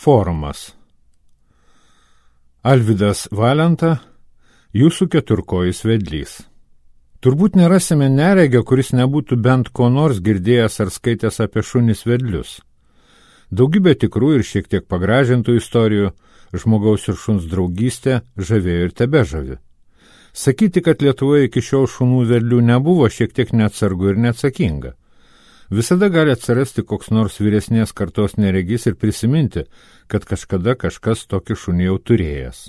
Forumas. Alvydas Valenta, jūsų keturkojis vedlys. Turbūt nerasime neregio, kuris nebūtų bent ko nors girdėjęs ar skaitęs apie šunis vedlius. Daugybė tikrų ir šiek tiek pagražintų istorijų, žmogaus ir šuns draugystė žavėjo ir tebežavi. Sakyti, kad Lietuvoje iki šiol šunų vedlių nebuvo, šiek tiek neatsargu ir neatsakinga. Visada gali atsirasti koks nors vyresnės kartos neregys ir prisiminti, kad kažkada kažkas tokį šunį jau turėjęs.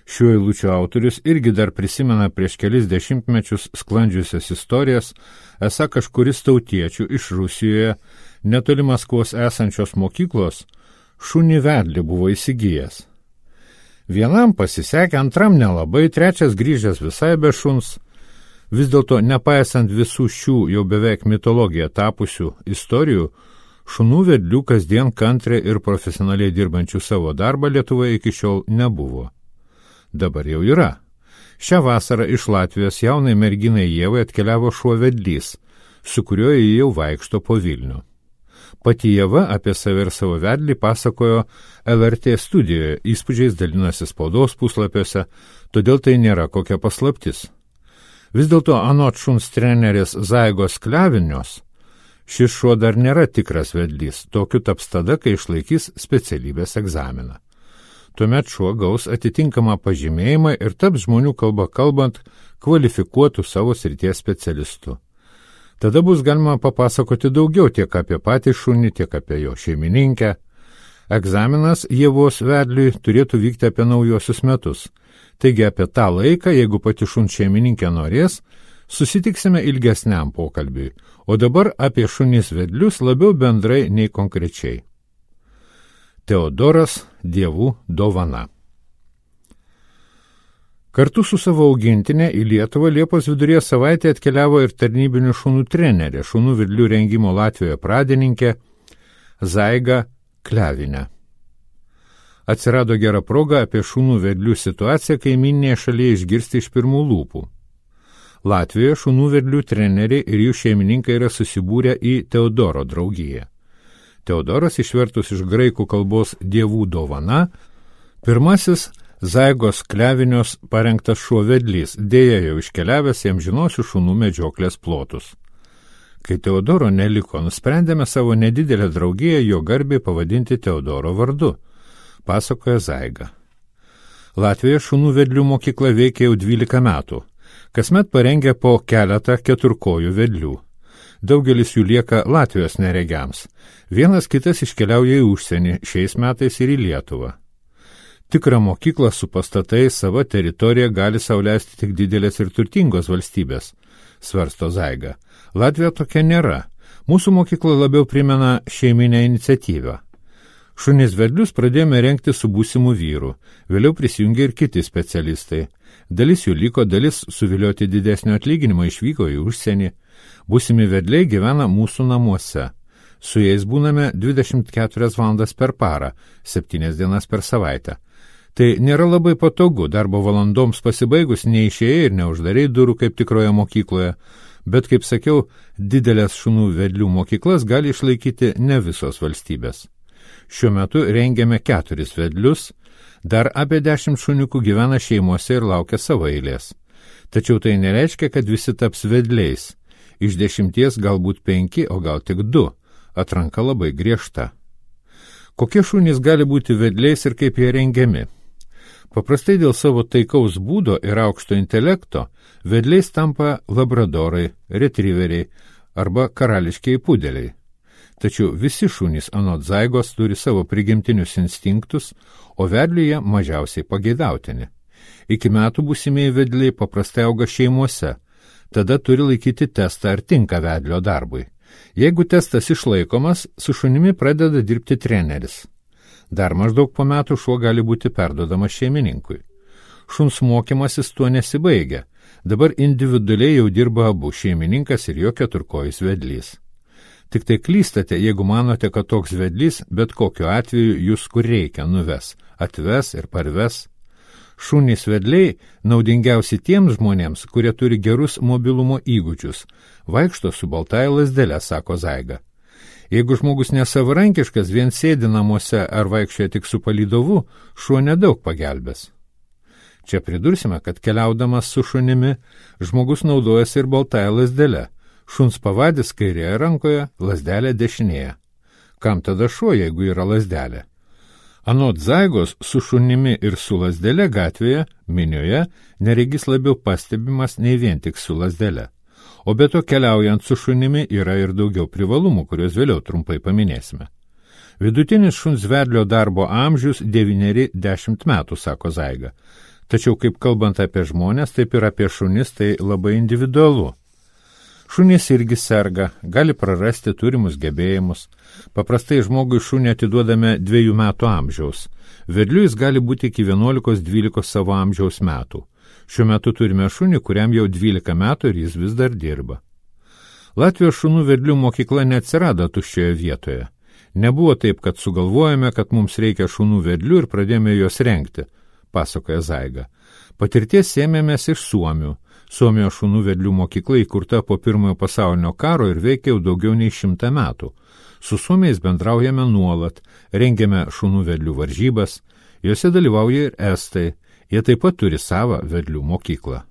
Šiuo eilučių autorius irgi dar prisimena prieš kelis dešimtmečius sklandžiusias istorijas, esą kažkuris tautiečių iš Rusijoje, netoli Maskvos esančios mokyklos, šunį vedlį buvo įsigijęs. Vienam pasisekė, antram nelabai, trečias grįžęs visai be šuns. Vis dėlto, nepaisant visų šių jau beveik mitologija tapusių istorijų, šunų vedlių kasdien kantriai ir profesionaliai dirbančių savo darbą Lietuvoje iki šiol nebuvo. Dabar jau yra. Šią vasarą iš Latvijos jaunai merginai Ievai atkeliavo šuo vedlys, su kuriuo jie jau vaikšto po Vilnių. Pati Ieva apie save ir savo vedlį pasakojo LRT studijoje, įspūdžiais dalinasi spaudos puslapiuose, todėl tai nėra kokia paslaptis. Vis dėlto anot šuns trenerės Zaigos Klevinios, šis šuo dar nėra tikras vedlys, tokiu taps tada, kai išlaikys specialybės egzaminą. Tuomet šuo gaus atitinkamą pažymėjimą ir taps žmonių kalba kalbant kvalifikuotų savo srities specialistų. Tada bus galima papasakoti daugiau tiek apie patį šunį, tiek apie jo šeimininkę. Egzaminas Ievos vedliui turėtų vykti apie naujuosius metus. Taigi apie tą laiką, jeigu pati šuns šeimininkė norės, susitiksime ilgesniam pokalbiui, o dabar apie šunis vedlius labiau bendrai nei konkrečiai. Teodoras dievų dovana. Kartu su savo augintinė į Lietuvą Liepos viduryje savaitę atkeliavo ir tarnybinių šunų trenerė, šunų vedlių rengimo Latvijoje pradininkė Zaiga Klevinė. Atsirado gera proga apie šunų vedlių situaciją kaimyninėje šalyje išgirsti iš pirmų lūpų. Latvijoje šunų vedlių treneriai ir jų šeimininkai yra susibūrę į Teodoro draugiją. Teodoras, išvertus iš graikų kalbos dievų dovana, pirmasis Zaigos Klevinios parengtas šuo vedlys, dėja jau iškeliavęs į amžinosių šunų medžioklės plotus. Kai Teodoro neliko, nusprendėme savo nedidelę draugiją jo garbei pavadinti Teodoro vardu, pasakoja Zaiga. Latvijoje šunų vedlių mokykla veikia jau 12 metų. Kasmet parengia po keletą keturkojų vedlių. Daugelis jų lieka Latvijos neregiams. Vienas kitas iškeliauja į užsienį, šiais metais ir į Lietuvą. Tikrą mokyklą su pastatais savo teritoriją gali sauliaisti tik didelės ir turtingos valstybės, svarsto Zaiga. Latvija tokia nėra. Mūsų mokykla labiau primena šeiminę iniciatyvą. Šunis vedlius pradėjome rengti su būsimu vyru, vėliau prisijungė ir kiti specialistai. Dalis jų liko, dalis suvilioti didesnio atlyginimo išvyko į užsienį. Būsimi vedliai gyvena mūsų namuose. Su jais būname 24 valandas per parą, 7 dienas per savaitę. Tai nėra labai patogu, darbo valandoms pasibaigus neišėjai ir neuždariai durų kaip tikroje mokykloje, bet, kaip sakiau, didelės šunų vedlių mokyklas gali išlaikyti ne visos valstybės. Šiuo metu rengiame 4 vedlius, dar apie 10 šuniukų gyvena šeimose ir laukia savo eilės. Tačiau tai nereiškia, kad visi taps vedliais. Iš 10 galbūt 5, o gal tik 2. Atranka labai griežta. Kokie šunys gali būti vedliais ir kaip jie rengiami? Paprastai dėl savo taikaus būdo ir aukšto intelekto vedliais tampa labradorai, retriveriai arba karališkiai pudeliai. Tačiau visi šunys anot Zaigos turi savo prigimtinius instinktus, o vedliuje mažiausiai pageidautini. Iki metų būsimieji vedliai paprastai auga šeimuose, tada turi laikyti testą ar tinka vedlio darbui. Jeigu testas išlaikomas, su šunimi pradeda dirbti treneris. Dar maždaug po metų šuo gali būti perduodamas šeimininkui. Šuns mokymasis tuo nesibaigia. Dabar individualiai jau dirba abu šeimininkas ir jo keturkojis vedlys. Tik tai klystate, jeigu manote, kad toks vedlys bet kokiu atveju jūs kur reikia nuves, atves ir parves. Šunys vedliai naudingiausi tiems žmonėms, kurie turi gerus mobilumo įgūdžius. Vaikšto su baltąja lazdele, sako Zaiga. Jeigu žmogus nesavarankiškas, vien sėdi namuose ar vaikščioja tik su palydovu, šuo nedaug pagelbės. Čia pridursime, kad keliaudamas su šunimi, žmogus naudojasi ir baltąją lazdelę. Šuns pavadis kairėje rankoje, lazdelė dešinėje. Kam tada šuo, jeigu yra lazdelė? Anot Zaigos, su šunimi ir su lazdelė gatvėje, minioje, neregys labiau pastebimas nei vien tik su lazdelė. O be to keliaujant su šunimi yra ir daugiau privalumų, kuriuos vėliau trumpai paminėsime. Vidutinis šuns vedlio darbo amžius 9–10 metų, sako Zaiga. Tačiau kaip kalbant apie žmonės, taip ir apie šunis, tai labai individualu. Šunys irgi serga, gali prarasti turimus gebėjimus. Paprastai žmogui šunį atiduodame 2 metų amžiaus. Vedliu jis gali būti iki 11–12 savo amžiaus metų. Šiuo metu turime šunį, kuriam jau 12 metų ir jis vis dar dirba. Latvijos šunų vedlių mokykla neatsirado tuščioje vietoje. Nebuvo taip, kad sugalvojame, kad mums reikia šunų vedlių ir pradėjome juos rengti, pasakoja Zaiga. Patirties ėmėmės iš Suomių. Suomijos šunų vedlių mokykla įkurta po Pirmojo pasaulinio karo ir veikia jau daugiau nei 100 metų. Su suomiais bendraujame nuolat, rengiame šunų vedlių varžybas, juose dalyvauja ir estai, jie taip pat turi savą vedlių mokyklą.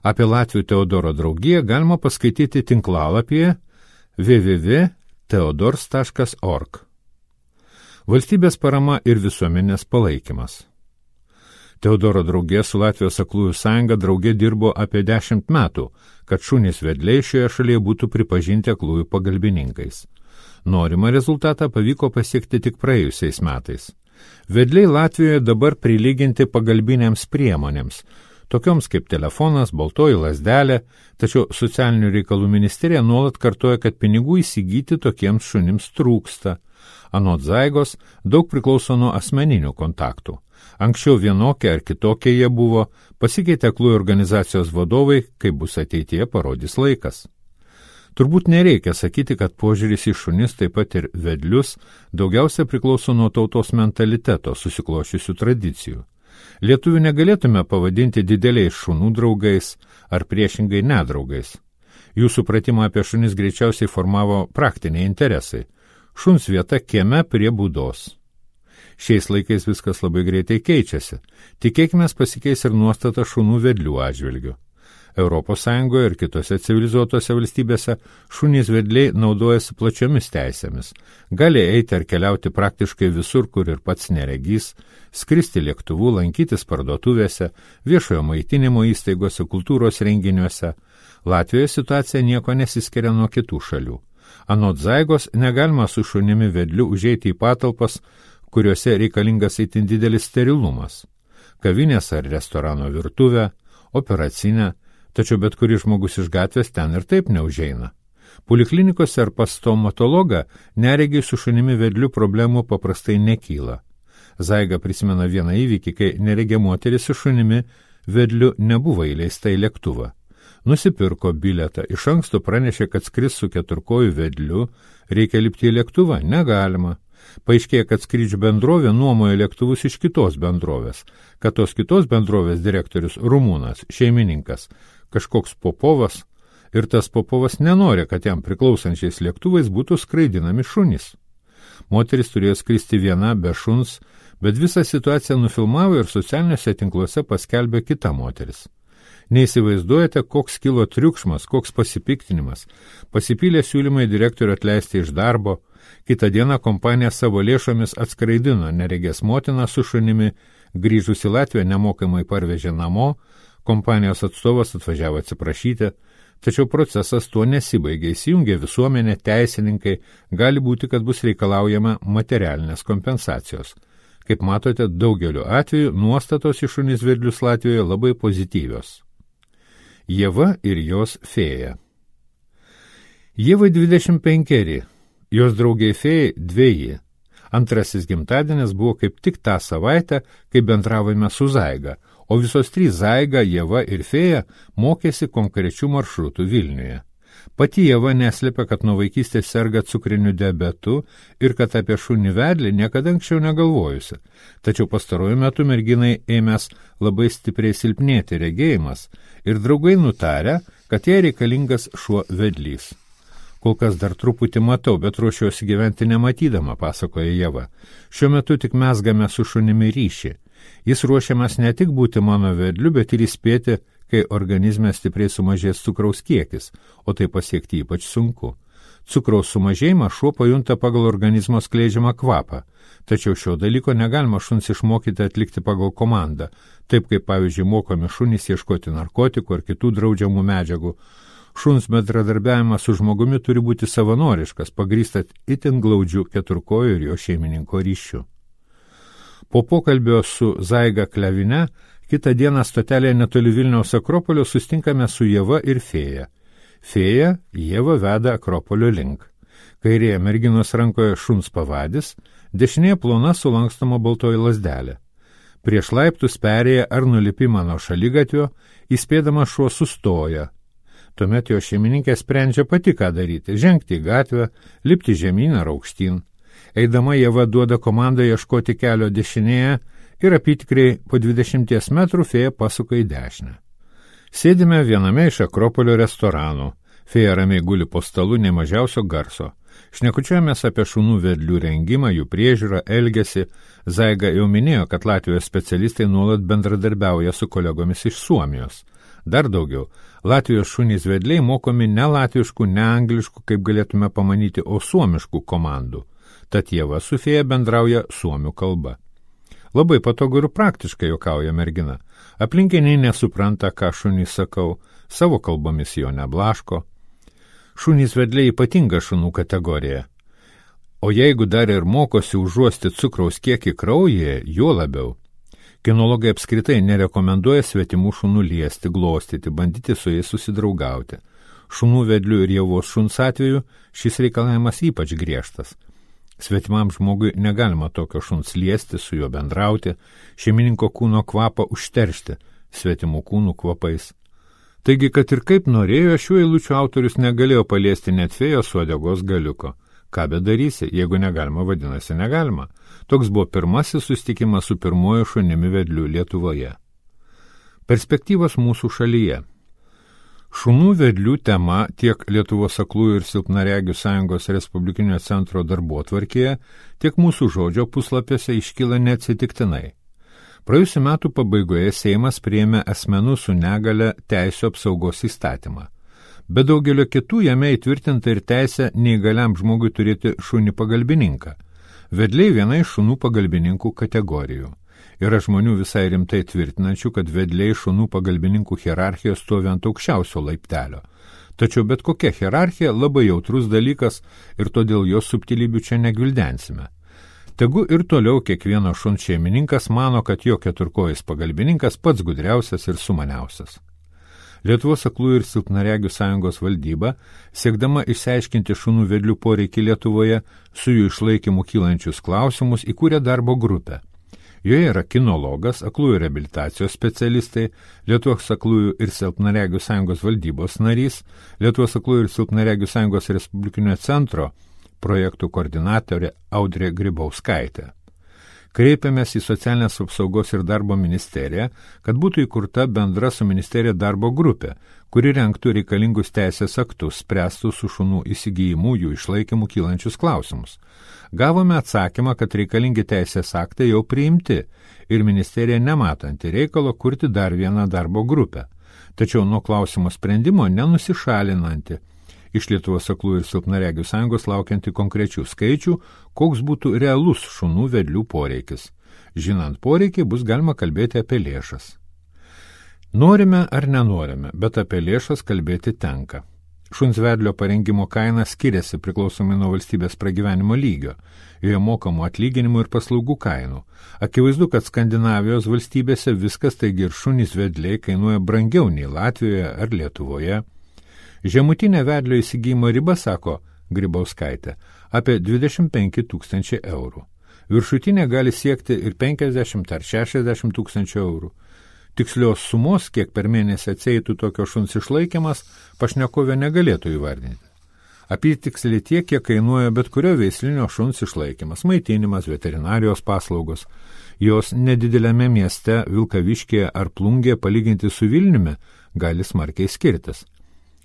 Apie Latvių Teodoro draugiją galima paskaityti tinklalapyje www.teodors.org. Valstybės parama ir visuomenės palaikymas. Teodoro draugė su Latvijos aklųjų sąjunga draugė dirbo apie 10 metų, kad šunys vedliai šioje šalyje būtų pripažinti aklųjų pagalbininkais. Norimą rezultatą pavyko pasiekti tik praėjusiais metais. Vedliai Latvijoje dabar prilyginti pagalbinėms priemonėms, tokioms kaip telefonas, baltoji lazdelė, tačiau socialinių reikalų ministerija nuolat kartoja, kad pinigų įsigyti tokiems šunims trūksta. Anot Zaigos, daug priklauso nuo asmeninių kontaktų. Anksčiau vienokie ar kitokie jie buvo, pasikeitė aklųjų organizacijos vadovai, kaip bus ateityje parodys laikas. Turbūt nereikia sakyti, kad požiūris į šunis, taip pat ir vedlius, daugiausia priklauso nuo tautos mentaliteto susiklošiusių tradicijų. Lietuvių negalėtume pavadinti dideliais šunų draugais ar priešingai nedraugais. Jų supratimą apie šunis greičiausiai formavo praktiniai interesai. Šuns vieta kieme prie būdos. Šiais laikais viskas labai greitai keičiasi. Tikėkime, pasikeis ir nuostata šunų vedlių atžvilgių. Europos Sąjungoje ir kitose civilizuotose valstybėse šunys vedliai naudojasi plačiomis teisėmis. Gali eiti ar keliauti praktiškai visur, kur ir pats neregys, skristi lėktuvu, lankytis parduotuvėse, viešojo maitinimo įstaigose, kultūros renginiuose. Latvijoje situacija nieko nesiskiria nuo kitų šalių. Anot Zaigos, negalima su šunimi vedliu užeiti į patalpas, kuriuose reikalingas itin didelis sterilumas. Kavinės ar restorano virtuvę, operacinę, tačiau bet kuris žmogus iš gatvės ten ir taip neužeina. Poliklinikose ar pas stomatologą neregiai su šunimi vedliu problemų paprastai nekyla. Zaiga prisimena vieną įvykį, kai neregė moteris su šunimi vedliu nebuvo įleista į lėktuvą. Nusipirko bilietą, iš anksto pranešė, kad skris su keturkoju vedliu, reikia lipti į lėktuvą, negalima. Paaiškėjo, kad skrydžių bendrovė nuomoja lėktuvus iš kitos bendrovės, kad tos kitos bendrovės direktorius rumūnas, šeimininkas, kažkoks Popovas, ir tas Popovas nenori, kad jam priklausančiais lėktuvais būtų skraidinami šunys. Moteris turėjo skristi viena be šuns, bet visą situaciją nufilmavo ir socialiniuose tinkluose paskelbė kita moteris. Neįsivaizduojate, koks kilo triukšmas, koks pasipiktinimas. Pasipylė siūlymai direktorių atleisti iš darbo. Kitą dieną kompanija savo lėšomis atskraidino neregės motiną su šunimi, grįžus į Latviją nemokamai parvežė namo, kompanijos atstovas atvažiavo atsiprašyti, tačiau procesas tuo nesibaigė, įsijungė visuomenė, teisininkai, gali būti, kad bus reikalaujama materialinės kompensacijos. Kaip matote, daugeliu atveju nuostatos į šunis vedlius Latvijoje labai pozityvios. Ieva ir jos fėja. Ievai 25, jos draugiai fėjai 2. Antrasis gimtadienis buvo kaip tik tą savaitę, kai bendravome su Zaiga, o visos 3 Zaiga, Ieva ir fėja mokėsi konkrečių maršrutų Vilniuje. Pati Ieva neslėpia, kad nuo vaikystės serga cukriniu diabetu ir kad apie šunį vedlį niekada anksčiau negalvojusi. Tačiau pastaruoju metu merginai ėmės labai stipriai silpnėti regėjimas ir draugai nutarė, kad jai reikalingas šuo vedlys. Kol kas dar truputį matau, bet ruošiuosi gyventi nematydama, pasakoja Ieva. Šiuo metu tik mezgame su šunimi ryšį. Jis ruošiamas ne tik būti mano vedliu, bet ir įspėti, kai organizme stipriai sumažės cukraus kiekis, o tai pasiekti ypač sunku. Cukraus sumažėjimą šuo pajunta pagal organizmo skleidžiamą kvapą, tačiau šio dalyko negalima šuns išmokyti atlikti pagal komandą, taip kaip pavyzdžiui mokomi šunys ieškoti narkotikų ar kitų draudžiamų medžiagų. Šuns bendradarbiavimas su žmogumi turi būti savanoriškas, pagrįstat itin glaudžiu keturkojo ir jo šeimininko ryšiu. Po pokalbio su Zaiga Klevine, kitą dieną stotelėje netoli Vilniaus Akropolio sustinkame su Ieva ir Fėja. Fėja Ieva veda Akropolio link. Kairėje merginos rankoje šuns pavadis, dešinėje plona sulankstomą baltoji lazdelė. Prieš laiptus perėję ar nulipimą nuo šaligatvio, įspėdama šuo sustoja. Tuomet jo šeimininkė sprendžia pati, ką daryti – žengti į gatvę, lipti žemyn ar aukštyn. Eidama Ieva duoda komandą ieškoti kelio dešinėje ir apytikriai po 20 metrų Fėja pasuka į dešinę. Sėdime viename iš Akropolio restoranų. Fėja ramiai guli po stalu nei mažiausio garso. Šnekučiuojamės apie šunų vedlių rengimą, jų priežiūrą, elgesį. Zaiga jau minėjo, kad Latvijos specialistai nuolat bendradarbiauja su kolegomis iš Suomijos. Dar daugiau, Latvijos šunys vedliai mokomi ne latviškų, ne angliškų, kaip galėtume pamanyti, o suomiškų komandų. Tad Ieva su Fėja bendrauja suomių kalba. Labai patogu ir praktiškai, juokauja mergina. Aplinkiniai nesupranta, ką šunys sakau, savo kalbomis jo neblaško. Šunys vedliai ypatinga šunų kategorija. O jeigu dar ir mokosi užuosti cukraus kiekį kraujyje, juo labiau. Kinologai apskritai nerekomenduoja svetimų šunų liesti, glostyti, bandyti su jais susidraugauti. Šunų vedlių ir Ievos šuns atveju šis reikalavimas ypač griežtas. Svetimam žmogui negalima tokio šuns liesti, su juo bendrauti, šeimininko kūno kvapą užteršti svetimų kūnų kvapais. Taigi, kad ir kaip norėjo, šių eilučių autorius negalėjo paliesti net Fėjos uodegos galiuko. Ką bedarysi, jeigu negalima, vadinasi negalima. Toks buvo pirmasis susitikimas su pirmuoju šunimi vedliu Lietuvoje. Perspektyvos mūsų šalyje. Šunų vedlių tema tiek Lietuvos aklųjų ir silpnaregių sąjungos Respublikinio centro darbotvarkėje, tiek mūsų žodžio puslapiuose iškyla neatsitiktinai. Praėjusiu metų pabaigoje Seimas priėmė asmenų su negale teisių apsaugos įstatymą. Be daugelio kitų jame įtvirtinta ir teisė neįgaliam žmogui turėti šunį pagalbininką. Vedliai viena iš šunų pagalbininkų kategorijų. Yra žmonių visai rimtai tvirtinančių, kad vedliai šunų pagalbininkų hierarchijos stovi ant aukščiausio laiptelio. Tačiau bet kokia hierarchija labai jautrus dalykas ir todėl jos subtilybių čia negvildensime. Tegu ir toliau kiekvieno šuns šeimininkas mano, kad jo keturkojis pagalbininkas pats gudriausias ir sumaniausias. Lietuvos aklųjų ir silpnaregių sąjungos valdyba, siekdama išsiaiškinti šunų vedlių poreikį Lietuvoje, su jų išlaikymu kylančius klausimus, įkūrė darbo grupę. Joje yra kinologas, aklųjų reabilitacijos specialistai, Lietuvos aklųjų ir silpnaregių sąjungos valdybos narys, Lietuvos aklųjų ir silpnaregių sąjungos Respublikinio centro projektų koordinatorė Audrė Grybauskaitė. Kreipėmės į Socialinės apsaugos ir darbo ministeriją, kad būtų įkurta bendra su ministerija darbo grupė, kuri rengtų reikalingus teisės aktus, spręstų su šunų įsigijimu jų išlaikymų kylančius klausimus. Gavome atsakymą, kad reikalingi teisės aktai jau priimti ir ministerija nematanti reikalo kurti dar vieną darbo grupę, tačiau nuo klausimo sprendimo nenusišalinanti. Iš Lietuvos aklųjų ir silpnaregių sąjungos laukianti konkrečių skaičių, koks būtų realus šunų vedlių poreikis. Žinant poreikį, bus galima kalbėti apie lėšas. Norime ar nenorime, bet apie lėšas kalbėti tenka. Šuns vedlio parengimo kaina skiriasi priklausomai nuo valstybės pragyvenimo lygio, joje mokamų atlyginimų ir paslaugų kainų. Akivaizdu, kad Skandinavijos valstybėse viskas, taigi ir šunys vedliai kainuoja brangiau nei Latvijoje ar Lietuvoje. Žemutinė vedlio įsigijimo riba, sako Grybauskaitė, apie 25 000 eurų. Viršutinė gali siekti ir 50 ar 60 000 eurų. Tikslios sumos, kiek per mėnesį atsieitų tokio šuns išlaikymas, pašnekovė negalėtų įvardinti. Apytiksliai tiek, kiek kainuoja bet kurio veislinio šuns išlaikymas, maitinimas, veterinarijos paslaugos. Jos nedideliame mieste, Vilkaviškyje ar Plungėje palyginti su Vilniumi gali smarkiai skirtis.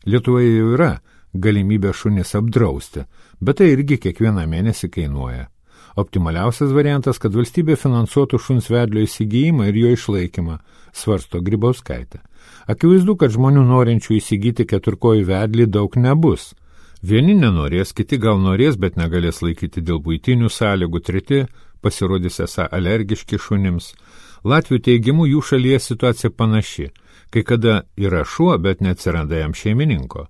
Lietuvoje jau yra galimybę šunis apdrausti, bet tai irgi kiekvieną mėnesį kainuoja. Optimaliausias variantas, kad valstybė finansuotų šuns vedlio įsigijimą ir jo išlaikymą, svarsto Grybauskaitė. Akivaizdu, kad žmonių norinčių įsigyti keturkojį vedlį daug nebus. Vieni nenorės, kiti gal norės, bet negalės laikyti dėl buitinių sąlygų, treti pasirodys esą alergiški šunims. Latvių teigimu jų šalyje situacija panaši, kai kada yra šuo, bet neatsiranda jam šeimininko.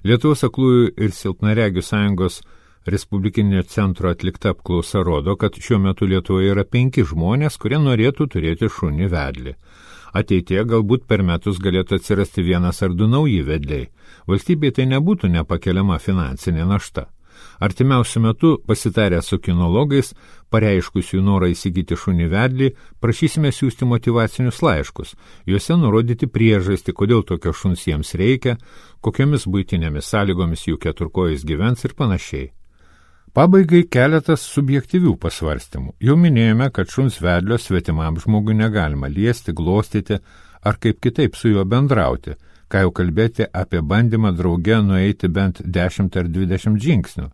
Lietuvos aklųjų ir silpnaregių sąjungos Respublikinio centro atlikta apklausa rodo, kad šiuo metu Lietuvoje yra 5 žmonės, kurie norėtų turėti šunį vedlį. Ateityje galbūt per metus galėtų atsirasti 1 ar 2 nauji vedliai. Valstybei tai nebūtų nepakeliama finansinė našta. Artimiausiu metu, pasitarę su kinologais, pareiškusių norą įsigyti šunį vedlį, prašysime siųsti motyvacinius laiškus, juose nurodyti priežastį, kodėl tokio šuns jiems reikia, kokiomis buitinėmis sąlygomis jų keturkojais gyvens ir panašiai. Pabaigai keletas subjektyvių pasvarstymų. Jau minėjome, kad šuns vedlio svetimam žmogui negalima liesti, glostyti ar kaip kitaip su juo bendrauti, ką jau kalbėti apie bandymą drauge nueiti bent 10 ar 20 žingsnių.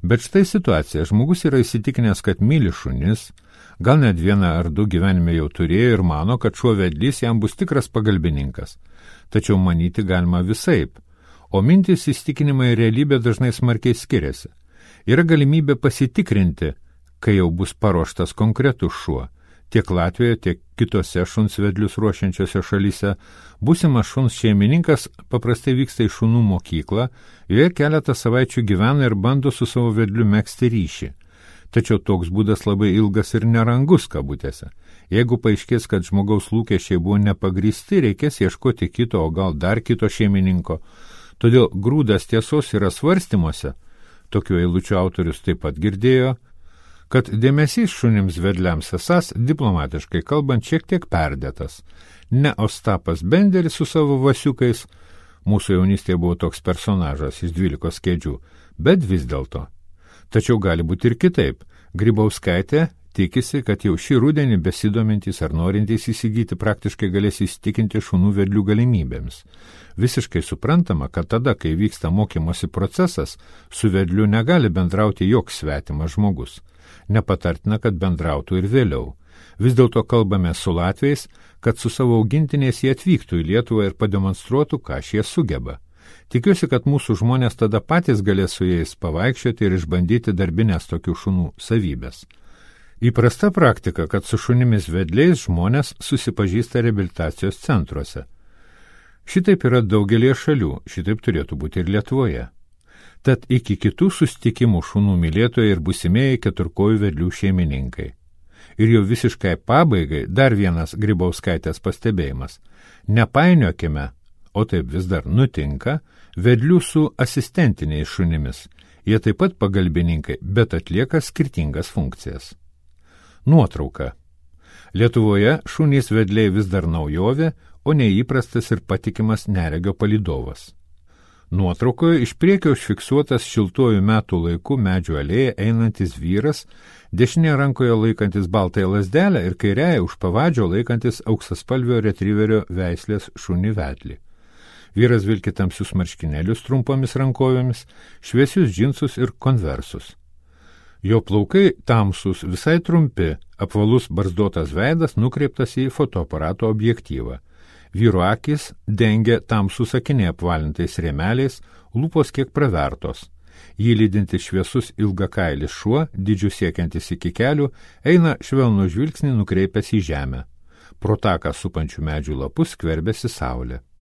Bet štai situacija. Žmogus yra įsitikinęs, kad myli šunis, gal net 1 ar 2 gyvenime jau turėjo ir mano, kad šuo vedlys jam bus tikras pagalbininkas. Tačiau manyti galima visaip, o mintys, įsitikinimai ir realybė dažnai smarkiai skiriasi. Yra galimybė pasitikrinti, kai jau bus paruoštas konkretus šuo. Tiek Latvijoje, tiek kitose šuns vedlius ruošiančiose šalyse būsimas šuns šeimininkas paprastai vyksta į šunų mokyklą, joje keletą savaičių gyvena ir bando su savo vedliu megzti ryšį. Tačiau toks būdas labai ilgas ir nerangus kabutėse. Jeigu paaiškės, kad žmogaus lūkesčiai buvo nepagristi, reikės ieškoti kito, o gal dar kito šeimininko. Todėl grūdas tiesos yra svarstymuose. Tokių eilučių autorius taip pat girdėjo, kad dėmesys šunims vedliams esas, diplomatiškai kalbant, šiek tiek perdėtas. Ne Ostapas Benderis su savo vasiukais, mūsų jaunystėje buvo toks personažas iš 12 kėdžių, bet vis dėlto. Tačiau gali būti ir kitaip. Grybauskaitė tikisi, kad jau šį rudenį besidomintys ar norintys įsigyti praktiškai galės įsitikinti šunų vedlių galimybėmis. Visiškai suprantama, kad tada, kai vyksta mokymosi procesas, su vedliu negali bendrauti joks svetimas žmogus. Nepatartina, kad bendrautų ir vėliau. Vis dėlto kalbame su latviais, kad su savo augintiniais jie atvyktų į Lietuvą ir pademonstruotų, ką šie sugeba. Tikiuosi, kad mūsų žmonės tada patys galės su jais pavaikščioti ir išbandyti darbinės tokių šunų savybės. Įprasta praktika, kad su šunimis vedliais žmonės susipažįsta reabilitacijos centruose. Šitaip yra daugelie šalių, šitaip turėtų būti ir Lietuvoje. Tad iki kitų susitikimų šunų mylėtojai ir būsimieji keturkojų vedlių šeimininkai. Ir jau visiškai pabaigai dar vienas Grybauskaitės pastebėjimas. Nepainiokime, o taip vis dar nutinka, vedlių su asistentiniais šunimis. Jie taip pat pagalbininkai, bet atlieka skirtingas funkcijas. Nuotrauka. Lietuvoje šunys vedliai vis dar naujovė, o neįprastas ir patikimas neregio palydovas. Nuotraukoje iš priekio užfiksuotas šiltuoju metų laiku medžių alėja einantis vyras, dešinėje rankoje laikantis baltąją lazdelę ir kairėje už pavadžio laikantis auksaspalvio retriverio veislės šunį vedlį. Vyras vilki tamsius marškinėlius trumpomis rankovėmis, šviesius džinsus ir konversus. Jo plaukai tamsus, visai trumpi, apvalus barzdotas veidas nukreiptas į fotoaparato objektyvą. Vyro akis dengia tamsų akiniai apvalintais rėmeliais, lūpos kiek pravertos. Jį lydintis šviesus ilgakailis šuo, dydžių siekiantis iki kelių, eina švelnų žvilgsnį nukreipęs į žemę. Pro taką supančių medžių lapus skverbėsi saulė.